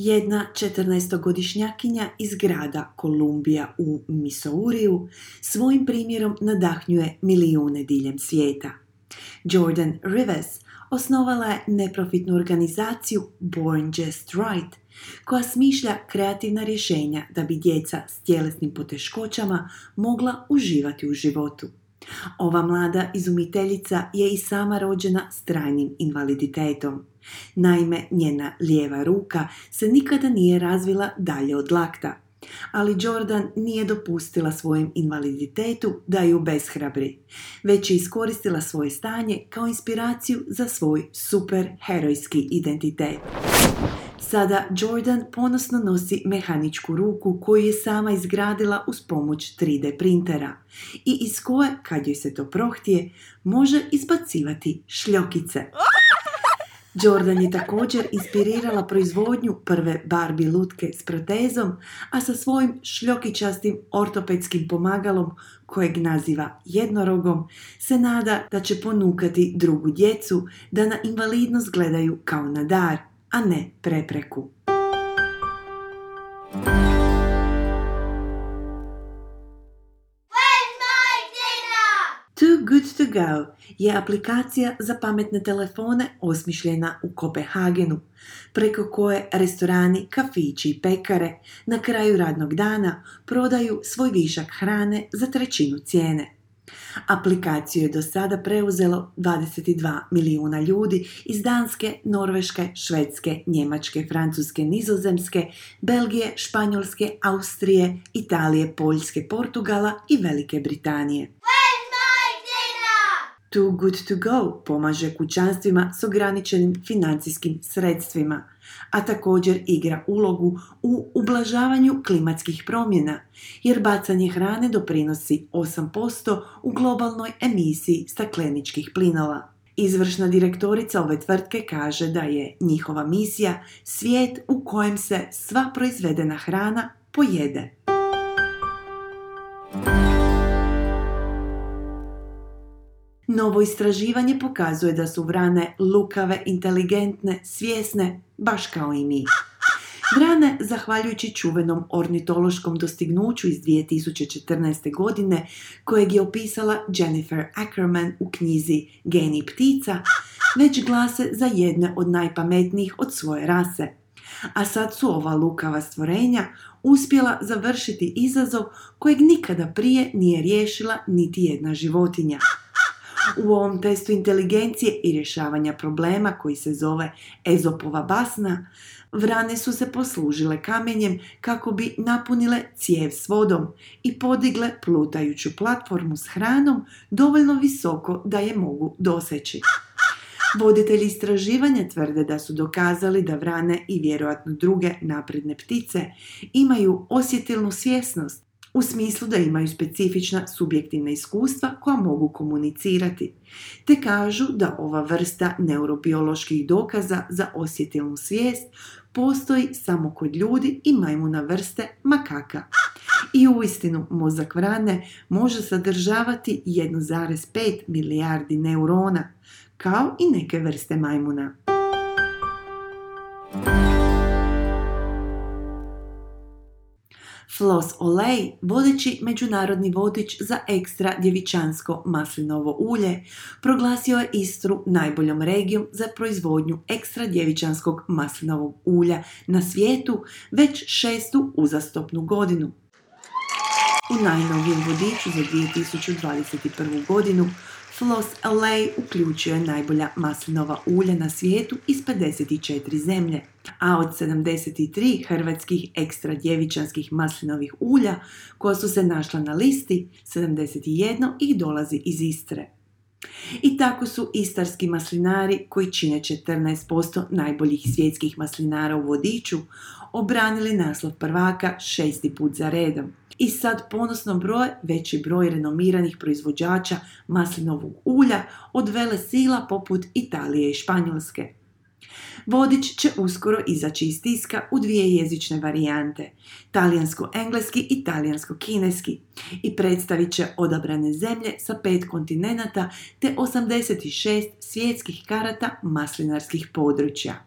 Jedna 14-godišnjakinja iz grada Kolumbija u Missouriju svojim primjerom nadahnjuje milijune diljem svijeta. Jordan Rivers osnovala je neprofitnu organizaciju Born Just Right, koja smišlja kreativna rješenja da bi djeca s tjelesnim poteškoćama mogla uživati u životu. Ova mlada izumiteljica je i sama rođena s trajnim invaliditetom. Naime, njena lijeva ruka se nikada nije razvila dalje od lakta. Ali Jordan nije dopustila svojem invaliditetu da ju obeshrabri, već je iskoristila svoje stanje kao inspiraciju za svoj superherojski identitet. Sada Jordan ponosno nosi mehaničku ruku koju je sama izgradila uz pomoć 3D printera i iz koje, kad joj se to prohtije, može izbacivati šljokice. Jordan je također inspirirala proizvodnju prve Barbie lutke s protezom, a sa svojim šljokičastim ortopedskim pomagalom, kojeg naziva jednorogom, se nada da će ponukati drugu djecu da na invalidnost gledaju kao na dar, a ne prepreku. Too Good To Go je aplikacija za pametne telefone osmišljena u Kopenhagenu, preko koje restorani, kafići i pekare na kraju radnog dana prodaju svoj višak hrane za 1/3 cijene. Aplikaciju je do sada preuzelo 22 milijuna ljudi iz Danske, Norveške, Švedske, Njemačke, Francuske, Nizozemske, Belgije, Španjolske, Austrije, Italije, Poljske, Portugala i Velike Britanije. Too Good To Go pomaže kućanstvima s ograničenim financijskim sredstvima, a također igra ulogu u ublažavanju klimatskih promjena, jer bacanje hrane doprinosi 8% u globalnoj emisiji stakleničkih plinova. Izvršna direktorica ove tvrtke kaže da je njihova misija svijet u kojem se sva proizvedena hrana pojede. Novo istraživanje pokazuje da su vrane lukave, inteligentne, svjesne, baš kao i mi. Vrane, zahvaljujući čuvenom ornitološkom dostignuću iz 2014. godine, kojeg je opisala Jennifer Ackerman u knjizi Geni ptica, već glase za jedne od najpametnijih od svoje rase. A sad su ova lukava stvorenja uspjela završiti izazov kojeg nikada prije nije riješila niti jedna životinja. U ovom testu inteligencije i rješavanja problema koji se zove Ezopova basna, vrane su se poslužile kamenjem kako bi napunile cijev s vodom i podigle plutajuću platformu s hranom dovoljno visoko da je mogu doseći. Voditelji istraživanja tvrde da su dokazali da vrane i vjerojatno druge napredne ptice imaju osjetilnu svjesnost, u smislu da imaju specifična subjektivna iskustva koja mogu komunicirati, te kažu da ova vrsta neurobioloških dokaza za osjetilnu svijest postoji samo kod ljudi i majmuna vrste makaka. I uistinu mozak vrane može sadržavati 1,5 milijardi neurona, kao i neke vrste majmuna. Floss Olej, vodeći međunarodni vodič za ekstra djevičansko maslinovo ulje, proglasio je Istru najboljom regijom za proizvodnju ekstra djevičanskog maslinovog ulja na svijetu već 6. uzastopnu godinu. U najnovijem vodiču za 2021. godinu Floss Olej uključio je najbolja maslinova ulja na svijetu iz 54 zemlje, a od 73 hrvatskih ekstra djevičanskih maslinovih ulja koja su se našla na listi, 71 ih dolazi iz Istre. I tako su istarski maslinari, koji čine 14% najboljih svjetskih maslinara u vodiču, obranili naslov prvaka 6. put za redom. I sad ponosno broje veći broj renomiranih proizvođača maslinovog ulja od velesila poput Italije i Španjolske. Vodič će uskoro izaći iz tiska u 2 jezične varijante, talijansko-engleski i talijansko-kineski, i predstavit će odabrane zemlje sa 5 kontinenata te 86 svjetskih karata maslinarskih područja.